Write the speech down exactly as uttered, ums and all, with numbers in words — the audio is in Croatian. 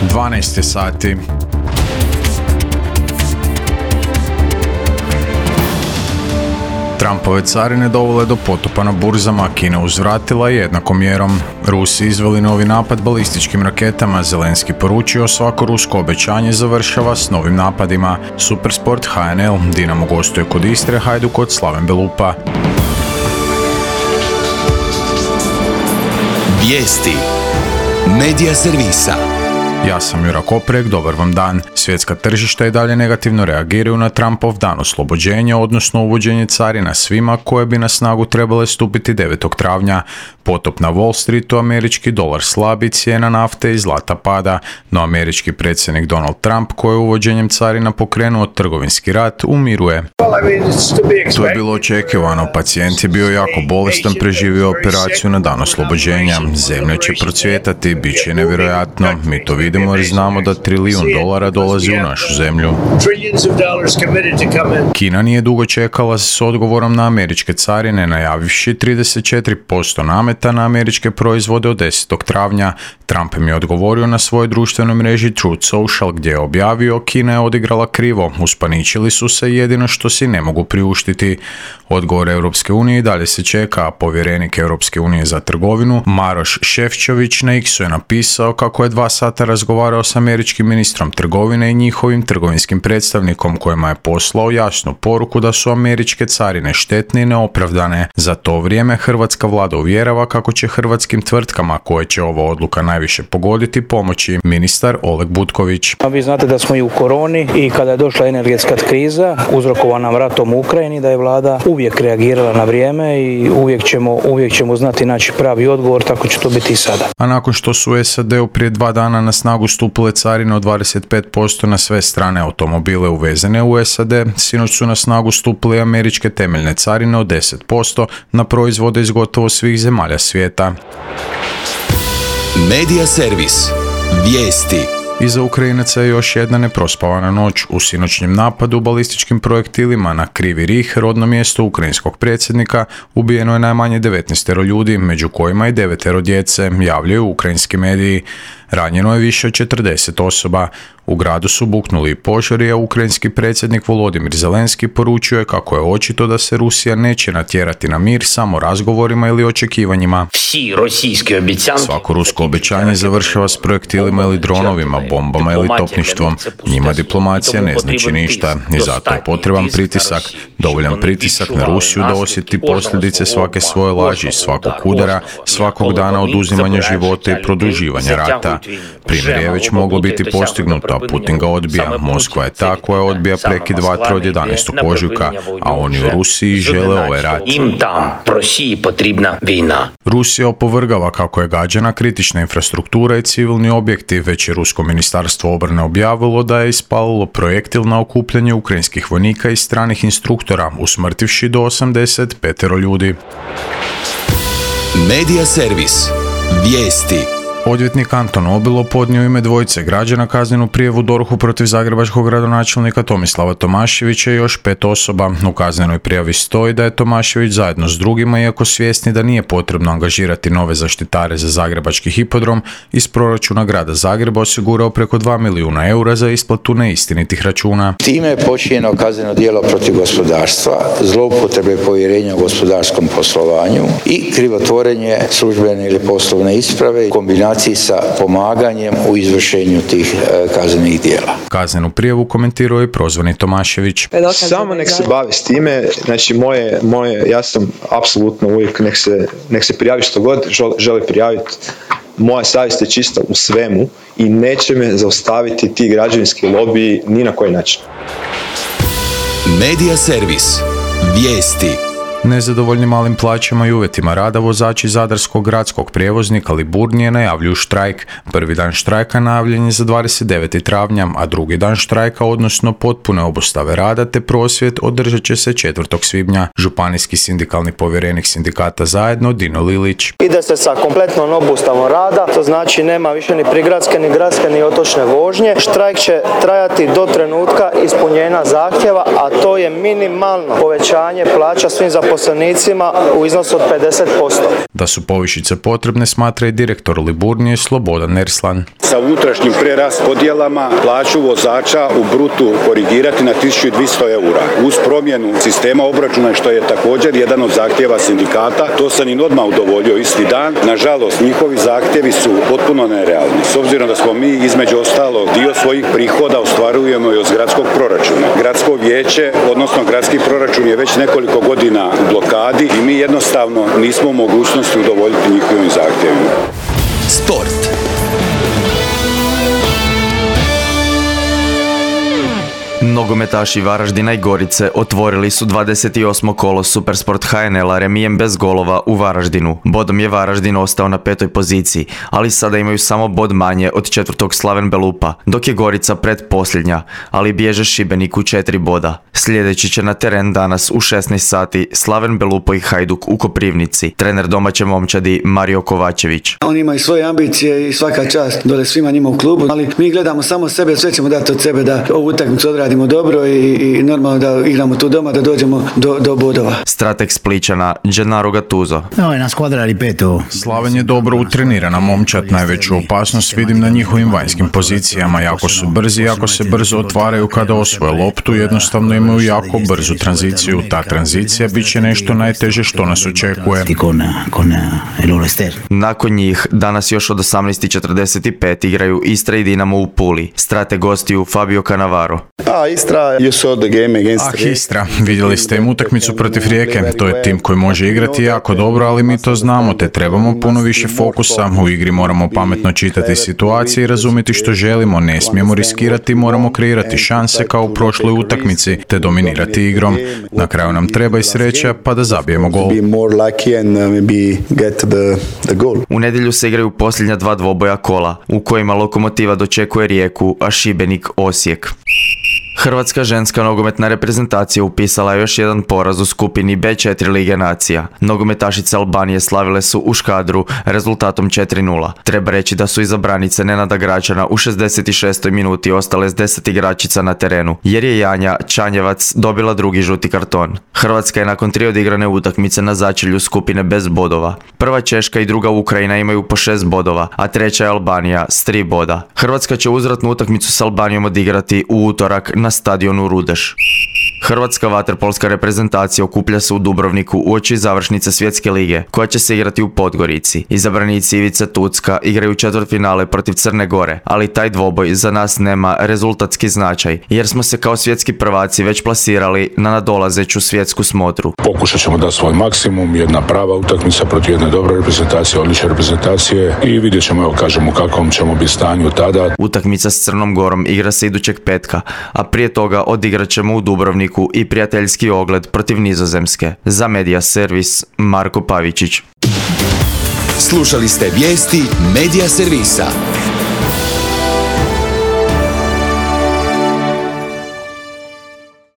dvanaest sati. Trumpove carine dovele do potopa na burzama, Kina uzvratila jednakom mjerom. Rusi izveli novi napad balističkim raketama, Zelenski poručio svako rusko obećanje završava s novim napadima. Supersport H N L, Dinamo gostuje kod Istre, Hajduk kod Slaven Belupa. Vijesti Medija servisa. Ja sam Jura Koprek, dobar vam dan. Svjetska tržišta i dalje negativno reagiraju na Trumpov dan oslobođenja, odnosno uvođenje carina svima koje bi na snagu trebale stupiti devetog travnja. Potop na Wall Streetu, američki dolar slabi, cijena nafte i zlata pada, no američki predsjednik Donald Trump, koji je uvođenjem carina pokrenuo trgovinski rat, umiruje. To je bilo očekivano, pacijent je bio jako bolestan, preživio operaciju na dan oslobođenja. Zemlja će procvjetati, bit će nevjerojatno, mi to vidimo jer znamo da trilijun dolara dolazi u našu zemlju. Kina nije dugo čekala s odgovorom na američke carine, najavivši trideset četiri posto nameta na američke proizvode od desetog travnja. Trump im je odgovorio na svojoj društvenoj mreži Truth Social, gdje je objavio: Kina je odigrala krivo, uspaničili su se, jedino što si ne mogu priuštiti. Odgovor Europske unije i dalje se čeka, a povjerenik Europske unije za trgovinu Maroš Šefčović na X-u je napisao kako je dva sata razgovarao s američkim ministrom trgovine i njihovim trgovinskim predstavnikom, kojima je poslao jasnu poruku da su američke carine štetne i neopravdane. Za to vrijeme hrvatska vlada uvjerava kako će hrvatskim tvrtkama koje će ova odluka najviše pogoditi pomoći ministar Oleg Butković. Vi znate da smo i u koroni i kada je došla energetska kriza uzrokovana ratom u Ukrajini, da je vlada uvijek reagirala na vrijeme i uvijek ćemo, uvijek ćemo znati naći pravi odgovor, tako će to biti i sada. A nakon što su u S A D-u prije dva dana na snagu stupile carine od dvadeset pet posto na sve strane automobile uvezene u S A D, sinoć su na snagu stupile američke temeljne carine od deset posto na proizvode iz gotovo svih zemalja svijeta. Medija servis. Vijesti. Iza Ukrajinaca je još jedna neprospavana noć. U sinoćnjem napadu balističkim projektilima na Krivi Rih, rodno mjesto ukrajinskog predsjednika, ubijeno je najmanje devetnaest ljudi, među kojima i devetero djece, javljaju ukrajinski mediji. Ranjeno je više od četrdeset osoba. U gradu su buknuli požari, a ukrajinski predsjednik Volodimir Zelenski poručio je kako je očito da se Rusija neće natjerati na mir samo razgovorima ili očekivanjima. Svako rusko obećanje završava s projektilima ili dronovima, bombama ili topništvom. Njima diplomacija ne znači ništa i zato je potreban pritisak, dovoljan pritisak na Rusiju da osjeti posljedice svake svoje laži, svakog udara, svakog dana oduzimanja života i produživanja rata. Primjer je već moglo biti postignuto, a Putin ga odbija. Moskva je ta koja odbija prekid vatre od jedanaestog ožujka, a oni u Rusiji žele ovaj rat. Rusija opovrgava kako je gađana kritična infrastruktura i civilni objekti, već je rusko ministarstvo obrane objavilo da je ispalilo projektil na okupljanje ukrajinskih vojnika i stranih instruktora, usmrtivši do osamdeset pet ljudi. Medija servis. Vijesti. Odvjetnik Anton Obilo podnio ime dvojice građana kaznenu prijavu D O R H-u protiv zagrebačkog gradonačelnika Tomislava Tomaševića i još pet osoba. U kaznenoj prijavi stoji da je Tomašević zajedno s drugima, iako svjesni da nije potrebno angažirati nove zaštitare za zagrebački hipodrom, iz proračuna grada Zagreba osigurao preko dva milijuna eura za isplatu neistinitih računa. Time je počinjeno kazneno djelo protiv gospodarstva, zloupotrebe povjerenja u gospodarskom poslovanju i krivotvorenje službene ili poslovne isprave, kombinacije sa pomaganjem u izvršenju tih e, kaznenih djela. Kaznenu prijavu komentirao je prozvani Tomašević. Samo nek se bavi s time, znači moje, moje, ja sam apsolutno uvijek nek se, nek se prijavi što god želi prijaviti. Moja savjest je čista u svemu i neće me zaustaviti ti građevinski lobiji ni na koji način. Medija servis. Vijesti. Nezadovoljni malim plaćama i uvjetima rada vozači zadarskog gradskog prijevoznika Liburnije najavljuju štrajk. Prvi dan štrajka najavljen je za dvadeset devetog travnja, a drugi dan štrajka, odnosno potpune obustave rada te prosvjed, održat će se četvrtog svibnja. Županijski sindikalni povjerenik sindikata Zajedno Dino Lilić. Ide se sa kompletnom obustavom rada, to znači nema više ni prigradske, ni gradske, ni otočne vožnje. Štrajk će trajati do trenutka ispunjenja zahtjeva, a to je minimalno povećanje plaća svim zaposlenicima zaposlenicima u iznosu od pedeset posto. Da su povišice potrebne, smatra i direktor Liburnije Slobodan Nerslan. Sa unutrašnjim preraspodjelama plaću vozača u brutu korigirati na tisuću dvjesto eura. Uz promjenu sistema obračuna, što je također jedan od zahtjeva sindikata, to sam im odmah udovoljio isti dan. Nažalost, njihovi zahtjevi su potpuno nerealni. S obzirom da smo mi između ostalog dio svojih prihoda ostvarujemo i od gradskog proračuna. Gradsko vijeće, odnosno gradski proračun je već nekoliko godina u blokadi i mi jednostavno nismo u mogućnosti udovoljiti njihovim zahtjevima. Sport. Nogometaši Varaždina i Gorice otvorili su dvadeset osmo kolo Supersport H N L-a remijem bez golova u Varaždinu. Bodom je Varaždin ostao na petoj poziciji, ali sada imaju samo bod manje od četvrtog Slaven Belupa, dok je Gorica predposljednja, ali bježe Šibeniku četiri boda. Sljedeći će na teren danas u šesnaest sati Slaven Belupo i Hajduk u Koprivnici, trener domaće momčadi Mario Kovačević. Oni imaju svoje ambicije i svaka čast dole svima njima u klubu, ali mi gledamo samo sebe, sve ćemo dati od sebe da ovu utakmicu odradimo dobro i, i normalno da igramo tu doma, da dođemo do, do bodova. Strateg Spličana Gennaro Gattuso. Slaven je dobro utrenirana momčad, najveću opasnost vidim na njihovim vanjskim pozicijama, jako su brzi, jako se brzo otvaraju kada osvoje loptu, jednostavno imaju jako brzu tranziciju, ta tranzicija bit će nešto najteže što nas očekuje. Nakon njih, danas još od osamnaest i četrdeset pet igraju Istra i Dinamo u Puli. Strateg gostiju Fabio Cannavaro. Ah, Istra, vidjeli ste im utakmicu protiv Rijeke, to je tim koji može igrati jako dobro, ali mi to znamo, te trebamo puno više fokusa, u igri moramo pametno čitati situacije i razumjeti što želimo, ne smijemo riskirati, moramo kreirati šanse kao u prošloj utakmici, te dominirati igrom. Na kraju nam treba i sreća, pa da zabijemo gol. U nedjelju se igraju posljednja dva dvoboja kola, u kojima Lokomotiva dočekuje Rijeku, a Šibenik Osijek. Hrvatska ženska nogometna reprezentacija upisala je još jedan poraz u skupini be četiri Lige nacija. Nogometašice Albanije slavile su u Škadru rezultatom četiri nula. Treba reći da su iza branice Nenada Gračana u šezdeset šestoj minuti ostale s deset igračica na terenu, jer je Janja Čanjevac dobila drugi žuti karton. Hrvatska je nakon tri odigrane utakmice na začelju skupine bez bodova. Prva Češka i druga Ukrajina imaju po šest bodova, a treća je Albanija s tri boda. Hrvatska će uzvratnu utakmicu s Albanijom odigrati u utorak na stadionu Rudeš. Hrvatska vaterpolska reprezentacija okuplja se u Dubrovniku uoči završnice Svjetske lige, koja će se igrati u Podgorici. Izabranici Ivice Tucka igraju četvrtfinale protiv Crne Gore, ali taj dvoboj za nas nema rezultatski značaj, jer smo se kao svjetski prvaci već plasirali na nadolazeću svjetsku smotru. Pokušat ćemo dati svoj maksimum, jedna prava utakmica protiv jedne dobre reprezentacije, odlične reprezentacije i vidjet ćemo, evo kažemo, kakvom ćemo biti stanju tada. Utakmica s Crnom Gorom igra se idućeg petka, a prije toga odigrat ćemo u Dubrovniku i prijateljski ogled protiv Nizozemske. Za Media Servis, Marko Pavičić. Slušali ste vijesti Media Servisa.